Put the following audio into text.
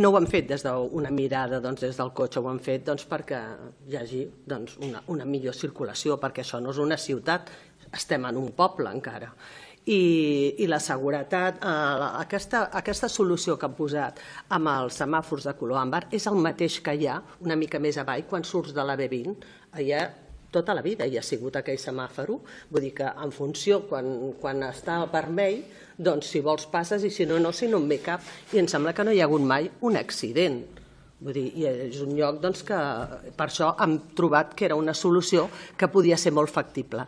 no ho han fet des d'una mirada des del cotxe, ho han fet perquè hi hagi una millor circulació, perquè això no és una ciutat, estem en un poble encara. I la seguretat, aquesta solució que han posat amb els semàfors de color àmbar és el mateix que hi ha una mica més avall quan surts de la B20. Allà tota la vida hi ha sigut aquell semàfor, vull dir que en funció, quan està vermell, doncs si vols passes i si no, no, si no en ve cap. I em sembla que no hi ha hagut mai un accident. Vull dir, és un lloc que per això hem trobat que era una solució que podia ser molt factible.